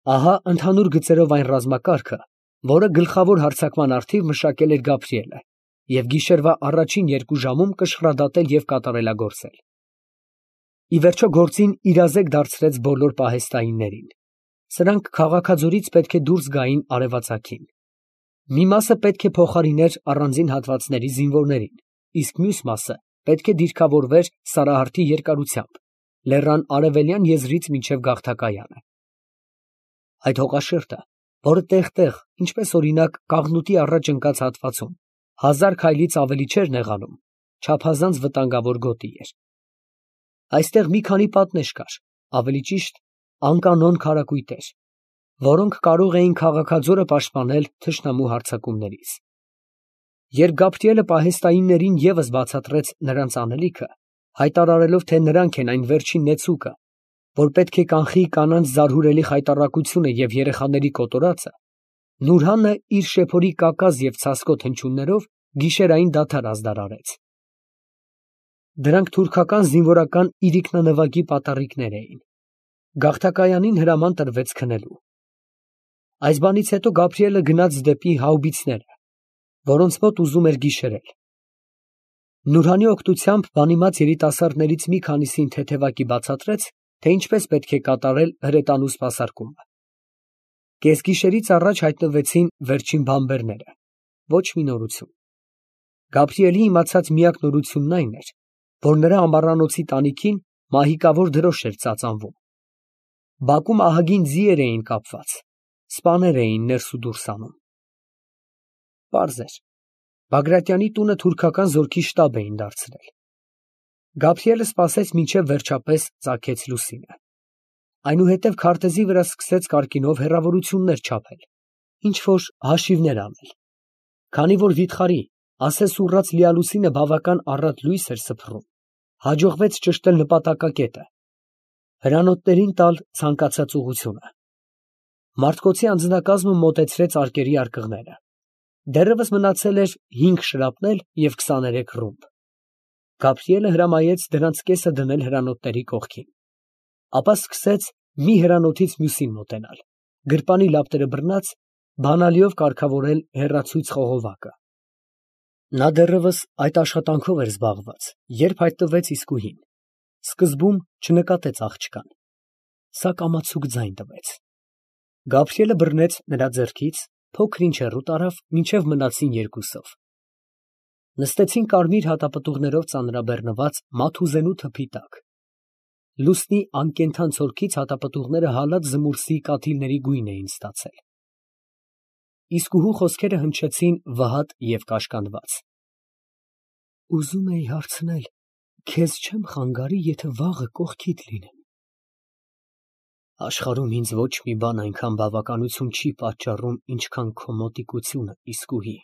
Ահա ընդհանուր գծերով այն ռազմակարգը, որը գլխավոր հարձակման առթիվ մշակել էր Գաբրիելը և գիշերվա առաջին 2 ժամում կշռադատել և կատարելագործել։ Ի վերջո գործին իրազեկ դարձրեց բոլոր պահեստայիններին. սրանք քաղաքաձորից պետք է դուրս գային արևածագին։ Մի մասը պետք է փոխարիներ առանձին հատվածների զինվորներին, իսկ մյուս մասը պետք է դիրքավորվեր Սարահարթի երկարությամբ, լեռան արևելյան եզրից մինչև Գավթակայանը։ Այդ հողաշերտը, որը տեղ֊տեղ, ինչպես օրինակ Կաղնուտի առաջ ընկած հատվածում, 1000 քայլից ավելի չէր նեղանում, չափազանց վտանգավոր գոտի էր։ Այստեղ մի քանի պատնեշ կար, ավելի ճիշտ անկանոն քարակույտեր, որոնք կարող էին քաղաքաձորը պաշտպանել թշնամու հարձակումներից։ Երբ Գաբրիելը պահեստայիններին ևս բացատրեց նրանց անելիքը, հայտարարելով, թե նրանք են այն վերջին նեցուկը, որ պետք է կանխի կանանց զարհուրելի խայտառակությունը և երեխաների կոտորածը, Նուրհանը իր շեփորի կակազ և ցասկոտ հնչյուններով գիշերային դադար ազդարարեց։ Դրանք թուրքական զինվորական իրիկնանվագի պատառիկներ էին։ Գավթակայանին հրաման տրվեց քնելու։ Այս բանից հետո Գաբրիելը գնաց դեպի հաուբիցները, որոնց մոտ ուզում էր գիշերել։ Նուրհանի օգնությամբ բանիմաց երիտասարդներից մի քանիսին թեթևակի բացատրեց, թե ինչպես պետք է կատարել հրետանու սպասարկումը։ Կեսգիշերից առաջ հայտնվեցին վերջին բանբերները։ Ոչ մի նորություն։ Գաբրիելի իմացած միակ նորությունն այն էր, որ նրա ամառանոցի տանիքին մահիկավոր դրոշ էր ծածանվում։ Բակում ահագին ձիեր էին կապված, սպաներ էին ներս ու դուրս անում։ Պարզ էր, Բագրատյանի տունը թուրքական զորքի շտաբ էին դարձրել։ Գաբրիելը սպասեց մինչև վերջապես ծագեց լուսինը։ Այնուհետև քարտեզի վրա սկսեց կարկինով հեռավորություններ չափել, ինչ֊որ հաշիվներ անել։ Քանի որ վիթխարի, ասես ուռած լիալուսինը բավական առատ լույս էր սփռում, հաջողվեց ճշտել նպատակակետը, հրանոթներին տալ ցանկացած ուղղությունը։ Մարդկոցի անձնակազմը մոտեցրեց արկերի արկղները։ Դեռևս մնացել էր 5 շրապնել և 23 ռումբ։ Գաբրիելը հրամայեց դրանց կեսը դնել հրանոթների կողքին, ապա սկսեց մի հրանոթից մյուսին մոտենալ, գրպանի լապտերը բռնած, բանալիով կարգավորել հեռացույց խողովակը։ Նա դեռևս այդ աշխատանքով էր զբաղված, երբ հայտնվեց Իսկուհին։ Սկզբում չնկատեց աղջկան, սա կամացուկ ձայն տվեց։ Գաբրիելը բռնեց նրա ձեռքից, փոքր-ինչ հեռու տարավ, մինչև մնացին երկուսով։ Նստեցին կարմիր հատապտուղներով ծանրաբեռնված մաթուզենու թփի տակ։ Լուսնի անկենդան ցորքից հատապտուղները հալած զմուրսի կաթիլների գույն էին ստացել։ Իսկուհու խոսքերը հնչեցին վհատ և կաշկանդված։ Ուզում էի հարցնել, քեզ չեմ խանգարի, եթե վաղը կողքիդ լինեմ։ Աշխարհում ինձ ոչ մի բան այնքան բավականություն չի պատճառում, ինչքան քո մոտիկությունը, Իսկուհի։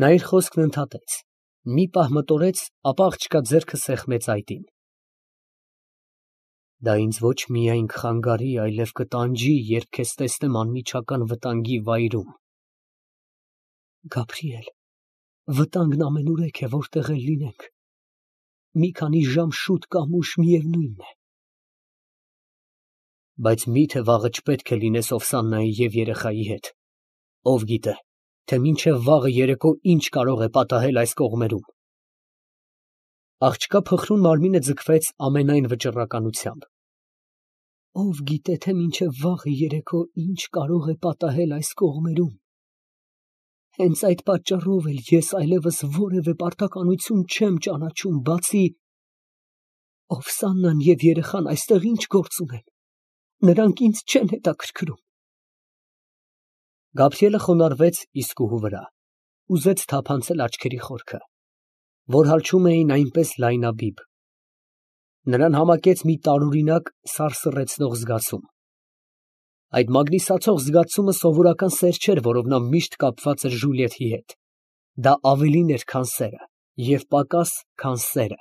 Նա իր խոսքն ընդհատեց, մի պահ մտորեց, ապա աղջկա ձեռքը սեղմեց այտին։ Դա ինձ ոչ միայն կխանգարի, այլև կտանջի, երբ քեզ տեսնեմ անմիջական վտանգի վայրում։ Գաբրիել, վտանգն ամենուրեք է, որտեղ էլ լինենք։ Մի քանի ժամ շուտ կամ ուշ միևնույն է։ Բայց մի՞թե վաղը չպետք է լինես Օվսաննայի և երեխայի հետ։ Ով գիտե, թե մինչև վաղը երեկո ինչ կարող է պատահել այս կողմերում։ Աղջկա փխրուն մարմինը ձգվեց ամենայն վճռականությամբ։ Ով գիտե, թե մինչև վաղը երեկո ինչ կարող է պատահել այս կողմերում։ Հենց այդ պատճառով էլ ես այլևս որևէ պարտականություն չեմ ճանաչում, բացի… Օվսաննան և երեխան այստեղ ինչ գործ ունեն։ Նրանք ինձ չեն հետաքրքրում։ Գաբրիելը խոնարհվեց Իսկուհու վրա, ուզեց թափանցել աչքերի խորքը, որ հալչում էին այնպես լայնաբիբ։ Նրան համակեց մի տարօրինակ սարսռեցնող զգացում։ Այդ մագնիսացող զգացումը սովորական սեր չէր, որով նա միշտ կապված էր Ժուլիեթի հետ։ Դա ավելին էր, քան սերը, և պակաս, քան սերը։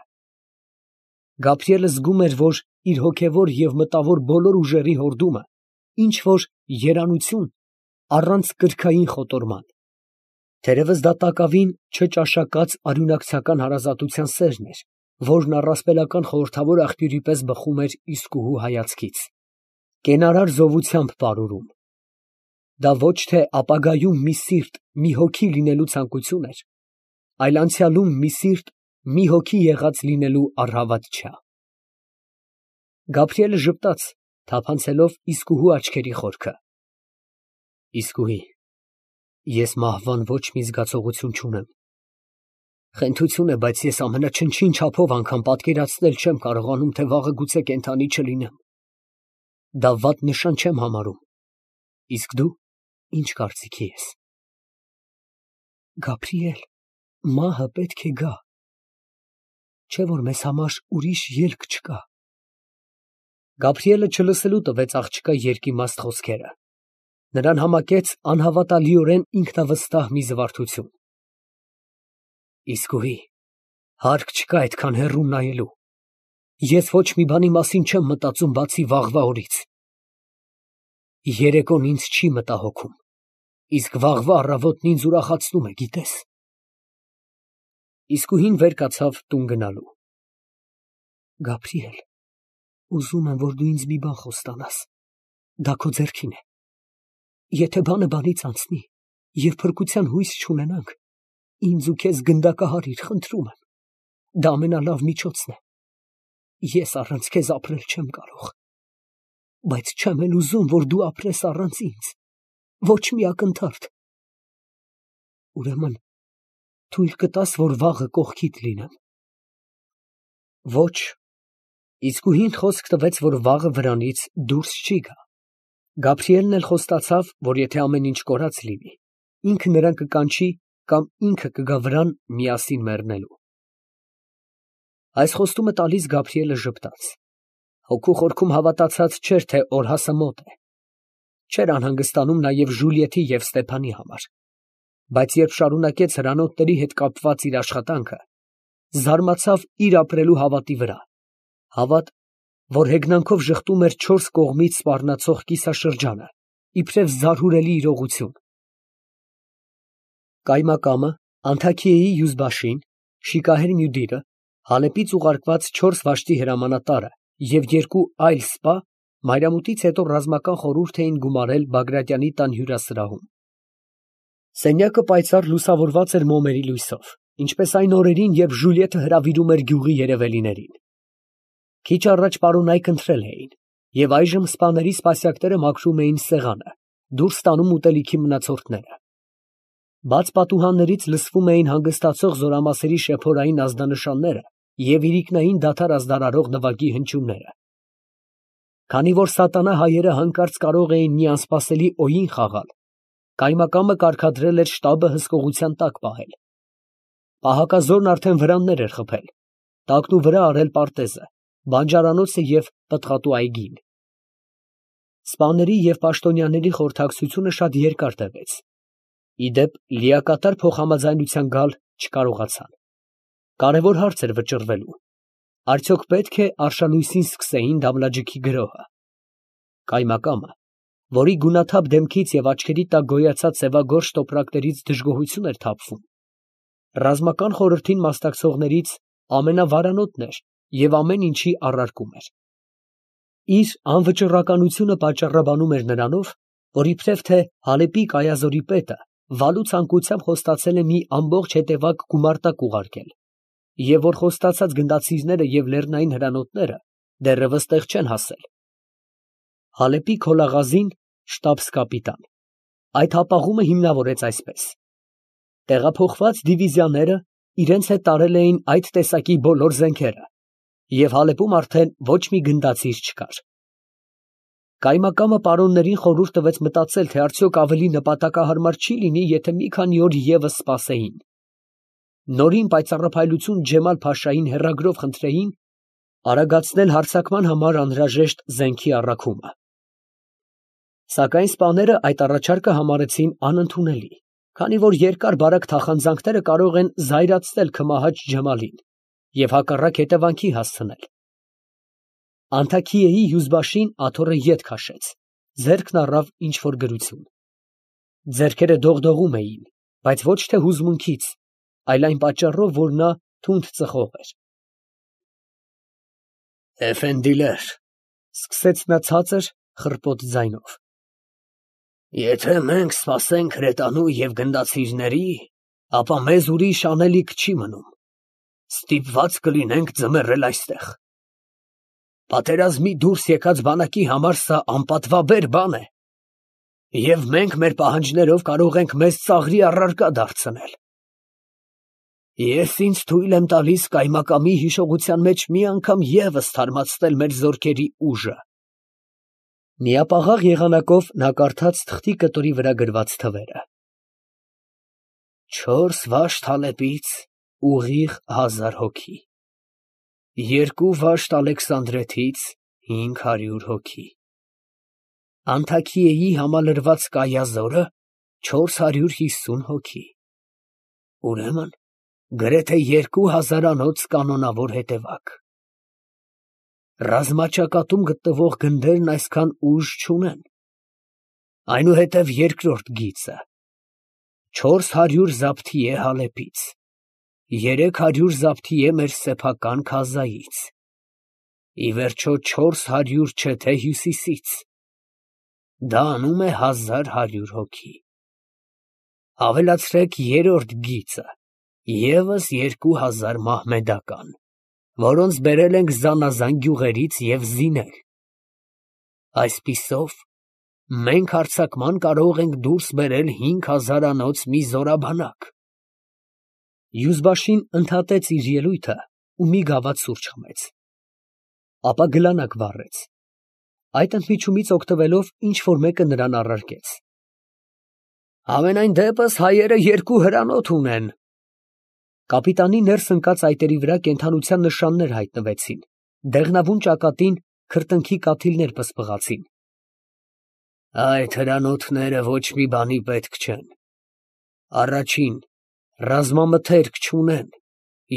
Գաբրիելը զգում էր, որ իր հոգևոր և մտավոր բոլոր ուժերի հորդումը ինչ֊որ երանություն առանց կրքային խոտորման։ Թերևս դա տակավին չճաշակած արյունակցական հարազատության սերն էր, որն առասպելական խորհրդավոր աղբյուրի պես բխում էր Իսկուհու հայացքից։ կենարար զովությամբ պարուրում։ Դա ոչ թե ապագայում մի սիրտ, մի հոգի լինելու ցանկություն էր, այլ անցյալում մի սիրտ, մի հոգի եղած լինելու առհավատչա։ Գաբրիելը ժպտաց, թափանցելով իսկուհու աչքերի խորքը։ Իսկուհի, ես մահվան ոչ մի զգացողություն չունեմ։ Խենթություն է, բայց ես ամենաչնչին չափով անգամ պատկերացնել չեմ կարողանում, թե վաղը գուցե կենդանի չլինեմ։ Դա վատ նշան չեմ համարում։ Իսկ դու ինչ կարծիքի ես։ Գաբրիել, մահը պետք է գա, չէ՞ որ մեզ համար ուրիշ ելք չկա։ Գաբրիելը չլսելու տվեց աղջկա երկիմաստ խոսքերը։ Նրան համակեց անհավատալիորեն ինքնավստահ մի զվարթություն։ Իսկուհի, հարկ չկա այդքան հեռու նայելու։ Ես ոչ մի բանի մասին չեմ մտածում, բացի վաղվա օրից։ Երեկոն ինձ չի մտահոգում, իսկ վաղվա առավոտն ինձ ուրախացնում է, գիտես։ Իսկուհին վեր կացավ տուն գնալու։ Գաբրիել, ուզում եմ, որ դու ինձ մի բան խոստանաս, դա քո ձեռքին է։ Եթե բանը բանից անցնի, և փրկության հույս չունենանք, ինձ ու քեզ գնդակահարիր, խնդրում եմ, դա ամենալավ միջոցն է։ Ես առանց քեզ ապրել չեմ կարող, բայց չեմ էլ ուզում, որ դու ապրես առանց ինձ, ոչ մի ակնթարթ։ Ուրեմն, թույլ կտաս, որ վաղը կողքիդ լինեմ։ Ոչ։ Իսկուհին խոսք տվեց, որ վաղը վրանից դուրս չի գա։ Գաբրիելն էլ խոստացավ, որ եթե ամեն ինչ կորած լինի, ինքը նրան կկանչի կամ ինքը կգա վրան միասին մեռնելու։ Այս խոստումը տալիս Գաբրիելը ժպտաց։ Հոգու խորքում հավատացած չէր, թե օրհասը մոտ է։ Չէր անհանգստանում նաև Ժուլիետի և Ստեփանի համար։ Բայց երբ շարունակեց հրանոթների հետ կապված իր աշխատանքը, զարմացավ իր ապրելու հավատի վրա։ Հավատ, որ հեգնանքով ժխտում էր չորս կողմից սպառնացող կիսաշրջանը, իբրև զարհուրելի իրողություն։ Կայմակամը, Անթաքիեի յուզբաշին, Շիկահեր Մյուդիրը, Հալեպից ուղարկված 4 վաշտի հրամանատարը և 2 այլ սպա մայրամուտից հետո ռազմական խորհուրդ էին գումարել Բագրատյանի տան հյուրասրահում։ Սենյակը պայծառ լուսավորված էր մոմերի լույսով, ինչպես այն օրերին, երբ Ժուլիետը հրավիրում էր գյուղի երևելիներին։ Քիչ առաջ պարոնայք ընթրել էին, և այժմ սպաների սպասյակները մաքրում էին սեղանը, դուրս տանում ուտելիքի մնացորդները։ Բաց պատուհաններից լսվում էին հանգստացող զորամասերի շեփորային ազդանշանները և իրիկնային դադար ազդարարող նվագի հնչյունները։ Քանի որ սատանա հայերը հանկարծ կարող էին մի անսպասելի օյին խաղալ, կայմակամը կարգադրել էր շտաբը հսկողության տակ պահել։ Պահակազորն արդեն վրաններ էր խփել, տակնուվրա արել պարտեզը, բանջարանոցը և պտղատու այգին։ Սպաների և պաշտոնյաների խորհրդակցությունը շատ երկար տևեց։ Ի դեպ, լիակատար փոխհամաձայնության գալ չկարողացան։ Կարևոր հարց էր վճռվելու. արդյոք պետք է արշալույսին սկսեին Դամլաջիքի գրոհը։ Կայմակամը, որի գունաթափ դեմքից և աչքերի տակ գոյացած սևագորշ տոպրակներից դժգոհություն էր թափվում, ռազմական խորհրդին մասնակցողներից ամենավարանոտն էր և ամեն ինչի առարկում էր։ Իր անվճռականությունը պատճառաբանում էր նրանով, որ իբրև թե Հալեպի կայազորի պետը վալու ցանկությամբ խոստացել է մի ամբողջ հետևակ գումարտակ ուղարկել, և որ խոստացած գնդացիրները և լեռնային հրանոթները դեռևս տեղ չեն հասել։ Հալեպի քոլաղազին, շտաբս֊կապիտան, այդ հապաղումը հիմնավորեց այսպես. տեղափոխված դիվիզիաները իրենց հետ տարել էին այդ տեսակի բոլոր զենքերը, և Հալեպում արդեն ոչ մի գնդացիր չկար։ Կայմակամը պարոններին խորհուրդ տվեց մտածել, թե արդյոք ավելի նպատակահարմար չի լինի, եթե մի քանի օր ևս սպասեին։ Նորին պայծառափայլություն Ջեմալ֊Փաշային հեռագրով խնդրեին արագացնել հարձակման համար անհրաժեշտ զենքի առաքումը։ Սակայն սպաները այդ առաջարկը համարեցին անընդունելի, քանի որ երկար֊բարակ թախանձանքները կարող են զայրացնել քմահաճ Ջեմալին և հակառակ հետևանքի հասցնել։ Անթաքիեի յուզբաշին աթոռը ետ քաշեց, ձեռքն առավ ինչ֊որ գրություն։ Ձեռքերը դողդողում էին, բայց ոչ թե հուզմունքից, այլ այն պատճառով, որ նա թունդ ծխող էր։ Էֆենդիներ, ֊ սկսեց նա ցածր, խռպոտ ձայնով։ Եթե մենք սպասենք հրետանու և գնդացիրների, ապա մեզ ուրիշ անելիք չի մնում, ստիպված կլինենք ձմեռել այստեղ։ Պատերազմի դուրս եկած բանակի համար սա անպատվաբեր բան է, և մենք մեր պահանջներով կարող ենք մեզ ծաղրի առարկա դարձնել։ Ես ինձ թույլ եմ տալիս կայմակամի հիշողության մեջ մի անգամ ևս թարմացնել մեր զորքերի ուժը։ Միապաղաղ եղանակով նա կարդաց թղթի կտորի վրա գրված թվերը։ 4 վաշտ Հալեպից ուղիղ 1000 հոգի, 2 վաշտ Ալեքսանդրետից 500 հոգի, Անթաքիեի համալրված Կայազորը 450 հոգի, ուրեմն գրեթե 2000-անոց կանոնավոր հետևակ։ Ռազմաճակատում գտնվող գնդերն այսքան ուժ չունեն։ Այնուհետև երկրորդ գիծը 400 զաբթիե Հալեպից, 300 զաբթիե մեր սեփական Քազայից, ի վերջո 400 չէ թե հյուսիսից, դա անում է 1100 հոգի։ Ավելացրեք երրորդ գիծը, ևս 2000 մահմեդական, որոնց բերել ենք զանազան գյուղերից և զինել։ Այսպիսով, մենք հարձակման կարող ենք դուրս բերել 5000-անոց մի զորաբանակ։ Յուզբաշին ընդհատեց իր ելույթը ու մի գավաթ սուրճ խմեց։ Ապա գլանակ վառեց։ Այդ ընդմիջումից օգտվելով ինչ֊որ մեկը նրան առարկեց։ Համենայն դեպս հայերը 2 հրանոթ ունեն։ Կապիտանի ներս ընկած այտերի վրա կենդանության նշաններ հայտնվեցին, դեղնավուն ճակատին քրտնքի կաթիլներ պսպղացին։ Այդ հրանոթները ոչ մի բանի պետք չեն։ Առաջին, ռազմամթերք չունեն,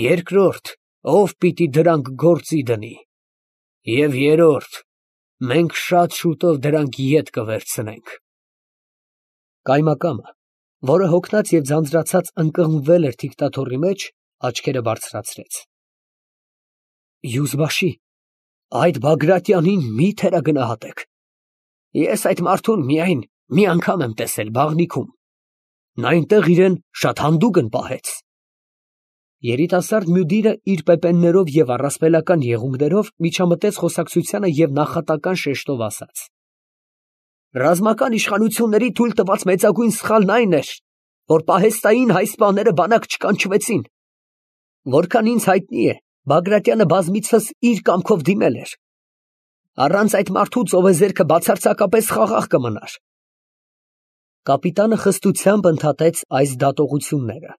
երկրորդ, ով պիտի դրանք գործի դնի, և երրորդ, մենք շատ շուտով դրանք ետ կվերցնենք։ Կայմակամը, որը հոգնած և ձանձրացած ընկղմվել էր թիկտաթոռի մեջ, աչքերը բարձրացրեց։ Յուզբաշի, այդ Բագրատյանին մի թերագնահատեք։ Ես այդ մարդուն միայն մի անգամ եմ տեսել Բաղնիքում։ Նա այնտեղ իրեն շատ հանդուգն պահեց։ Երիտասարդ մյուդիրը իր պեպեններով և առասպելական եղունգներով միջամտեց խոսակցությանը և նախատական շեշտով ասաց. Ռազմական իշխանությունների թույլ տված մեծագույն սխալն այն էր, որ պահեստային հայ սպաները բանակ չկանչվեցին։ Որքան ինձ հայտնի է, Բագրատյանը բազմիցս իր կամքով դիմել էր։ Առանց այդ մարդու ծովեզերքը բացարձակապես խաղաղ կմնար։ Կապիտանը խստությամբ ընդհատեց այս դատողությունները։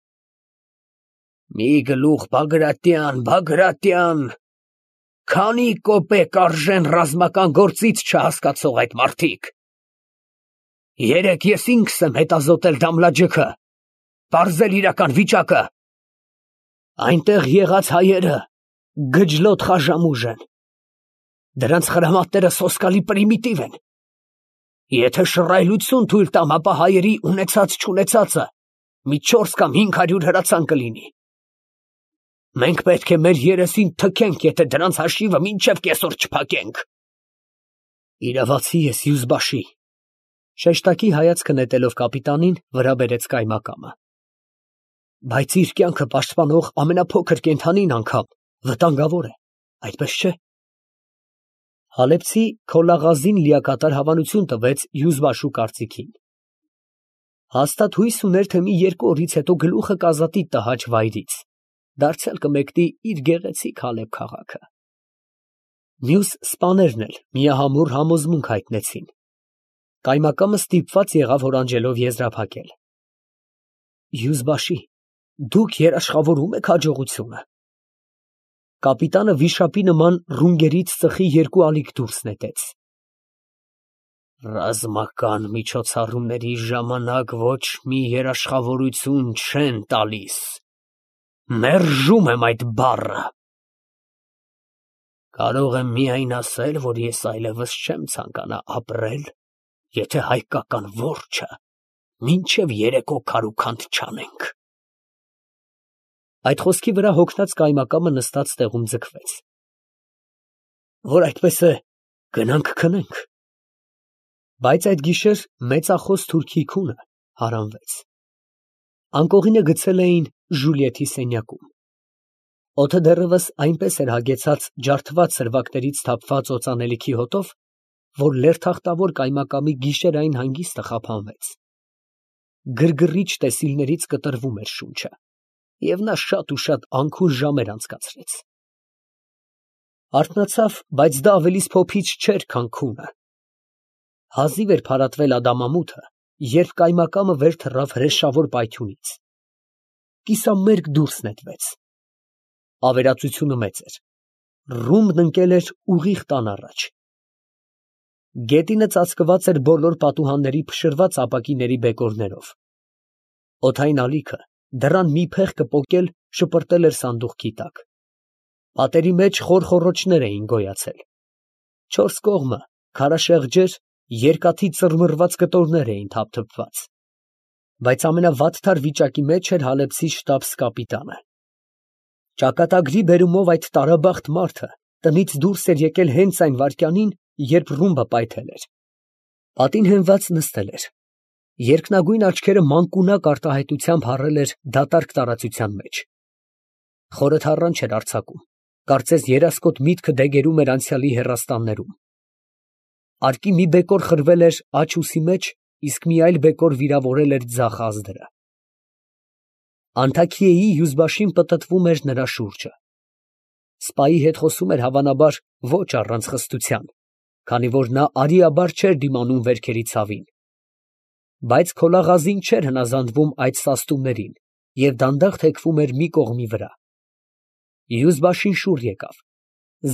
Մի գլուխ Բագրատյան, Բագրատյան, քանի կոպեկ արժեն ռազմական գործից չհասկացող այդ մարդիկ։ Երեկ ես ինքս եմ հետազոտել Դամլաջիքը, պարզել իրական վիճակը։ Այնտեղ եղած հայերը գջլոտ խաժամուժ են։ Դրանց խրամատները սոսկալի պրիմիտիվ են։ Եթե շռայլություն թույլ տամ, ապա հայերի ունեցած-չունեցածը մի 4 կամ 500 հրացան կլինի։ Մենք պետք է մեր երեսին թքենք, եթե դրանց հաշիվը մինչև կեսօր չփակենք։ Իրավացի ես, Յուզբաշի, շեշտակի հայացքը նետելով կապիտանին, վրա բերեց կայմակամը։ Բայց իր կյանքը պաշտպանող ամենափոքր կենդանին անգամ վտանգավոր է, այդպես չէ։ Հալեբցի Քոլաղազին լիակատար հավանություն տվեց Յուզբաշու կարծիքին։ Հաստատ հույս ուներ, թե մի 2 օրից հետո գլուխը կազատի տհաճ վայրից, դարձյալ կմեկնի իր գեղեցիկ Հալեբ քաղաքը։ Մյուս սպաներն էլ միահամուռ համոզմունք հայտնեցին։ Կայմակամը ստիպված եղավ հորանջելով եզրափակել։ Յուզբաշի, դուք երաշխավորում եք հաջողությունը։ Կապիտանը վիշապի նման ռունգերից ծխի 2 ալիք դուրս նետեց։ Ռազմական միջոցառումների ժամանակ ոչ մի երաշխավորություն չեն տալիս։ Մերժում եմ այդ բառը։ Կարող եմ միայն ասել, որ ես այլևս չեմ ցանկանա ապրել, եթե հայկական որջը մինչև երեկո քարուքանդ չանենք։ Այդ խոսքի վրա հոգնած կայմակամը նստած տեղում ձգվեց։ Որ այդպես է, գնանք քնենք։ Բայց այդ գիշեր մեծախոս թուրքի քունը հարանվեց։ Անկողինը գցել էին Ժուլիետի սենյակում։ Օդը դեռևս այնպես էր հագեցած ջարդված սրվակներից թափված օծանելիքի հոտով, որ լերթախտավոր կայմակամի գիշերային հանգիստը խափանվեց։ Գրգռիչ տեսիլներից կտրվում էր շունչը, և նա շատ ու շատ անքուն ժամեր անցկացրեց։ Արթնացավ, բայց դա ավելիս փոփիչ չէր, քան քունը։ Հազիվ էր փարատվել ադամամութը, երբ կայմակամը վեր թռավ հրեշավոր պայթյունից։ Կիսամերկ դուրս նետվեց։ Ավերածությունը մեծ էր։ Ռումբն ընկել էր ուղիղ տան առաջ։ Գետինը ծածկված էր բոլոր պատուհանների փշրված ապակիների բեկորներով։ Օդային ալիքը դռան մի փեղկը պոկել շպրտել էր սանդուղքի տակ։ Պատերի մեջ խորխորոչներ էին գոյացել։ Չորս կողմը քարաշեղջեր, երկաթի ծռմռված կտորներ էին թափթփված։ Բայց ամենավատթար վիճակի մեջ էր հալեբսի շտաբ֊կապիտանը։ Ճակատագրի բերումով այդ տարաբախտ մարդը տնից դուրս էր եկել հենց այն վայրկյանին, երբ ռումբը պայթել էր։ Պատին հենված նստել էր։ Երկնագույն աչքերը մանկունակ արտահայտությամբ հառել էր դատարկ տարածության մեջ։ Խորը թառան չէր արձակում, կարծես երասկոտ միտքը դեգերում էր անցյալի հեռաստաններում։ Արկի մի բեկոր խրվել էր աջ ուսի մեջ, իսկ մի այլ բեկոր վիրավորել էր ձախ ազդրը։ Անթաքիեի հյուզբաշին պտտվում էր նրա շուրջը։ Սպայի հետ խոսում էր հավանաբար ոչ առանց խստության, քանի որ նա արիաբար չէր դիմանում վերքերի ցավին։ Բայց քոլաղազին չէր հնազանդվում այդ սաստումներին և դանդաղ թեքվում էր մի կողմի վրա։ Հյուզբաշին շուռ եկավ,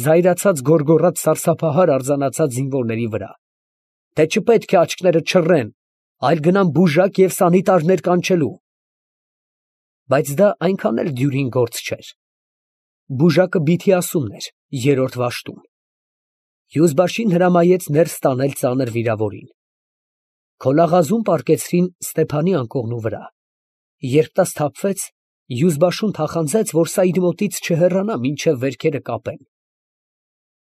զայրացած գոռգոռաց սարսափահար արձանացած զինվորների վրա, թե չպետք է աչքները չռեն, այլ գնան բուժակ և սանիտարներ կանչելու։ Բայց դա այնքան էլ դյուրին գործ չէր։ Բուժակը Բիթիասումն էր, երրորդ վաշտում։ Հյուզբաշին հրամայեց ներս տանել ծանր վիրավորին։ Քոլաղազուն պառկեցրին Ստեփանի անկողնու վրա։ Երբ նա սթափվեց, հյուզբաշուն թախանձեց, որ սա իր մոտից չհեռանա, մինչև վերքերը կապեն։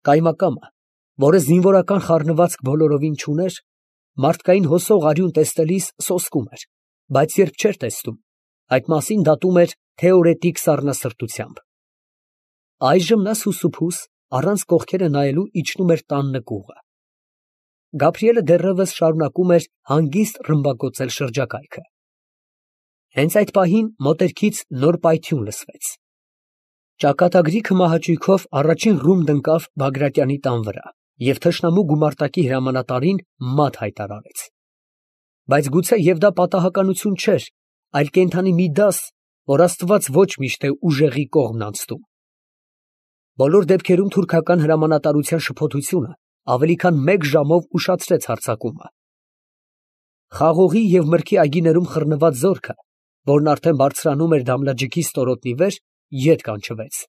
Կայմակամը, որը զինվորական խառնվածք բոլորովին չուներ, մարդկային հոսող արյուն տեսնելիս սոսկում էր, բայց երբ չէր տեսնում, այդ մասին դատում էր թեորետիկ սառնասրտությամբ։ Այժմ նա սուսուփուս, առանց կողքերը նայելու իջնում էր տան նկուղը։ Գաբրիելը դեռևս շարունակում էր հանգիստ ռմբակոծել շրջակայքը։ Հենց այդ պահին մոտերքից նոր պայթյուն լսվեց։ Ճակատագրի քմահաճույքով առաջին ռումբն ընկավ Բագրատյանի տան վրա և թշնամու գումարտակի հրամանատարին մատ հայտարարեց։ Բայց գուցե և դա պատահականություն չէր, այլ կենդանի մի դաս, որ Աստված ոչ միշտ է ուժեղի կողմն անցնում։ Բոլոր դեպքերում թուրքական հրամանատարության շփոթությունը ավելի քան մեկ ժամով ուշացրեց հարձակումը։ Խաղողի և մրգի այգիներում խռնված զորքը, որն արդեն բարձրանում էր Դամլաջիկի ստորոտի վեր, ետ կանչվեց։